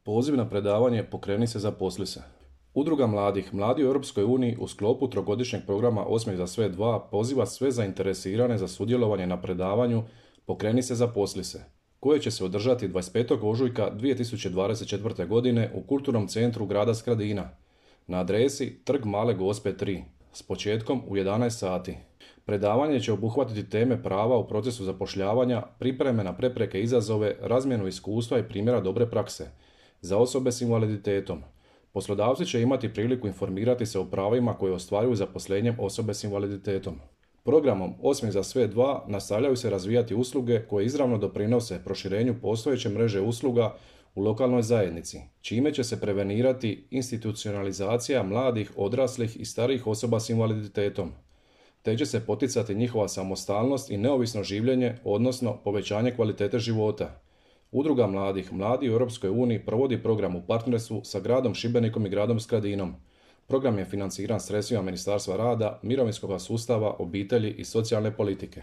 Poziv na predavanje Pokreni se, zaposli se. Udruga mladih Mladi u Europskoj uniji u sklopu trogodišnjeg programa Osmijeh za sve 2 poziva sve zainteresirane za sudjelovanje na predavanju Pokreni se, zaposli se, koje će se održati 25. ožujka 2024. godine u Kulturnom centru grada Skradina na adresi Trg Male Gospe 3 s početkom u 11 sati. Predavanje će obuhvatiti teme prava u procesu zapošljavanja, pripreme na prepreke i izazove, razmjenu iskustva i primjera dobre prakse za osobe s invaliditetom. Poslodavci će imati priliku informirati se o pravima koje ostvaruju zaposlenjem osobe s invaliditetom. Programom Osmijeh za sve 2 nastavljaju se razvijati usluge koje izravno doprinose proširenju postojeće mreže usluga u lokalnoj zajednici, čime će se prevenirati institucionalizacija mladih, odraslih i starijih osoba s invaliditetom, te će se poticati njihova samostalnost i neovisno življenje, odnosno povećanje kvalitete života. Udruga mladih Mladi u Europskoj uniji provodi program u partnerstvu sa gradom Šibenikom i gradom Skradinom. Program je financiran sredstvima Ministarstva rada, mirovinskog sustava, obitelji i socijalne politike.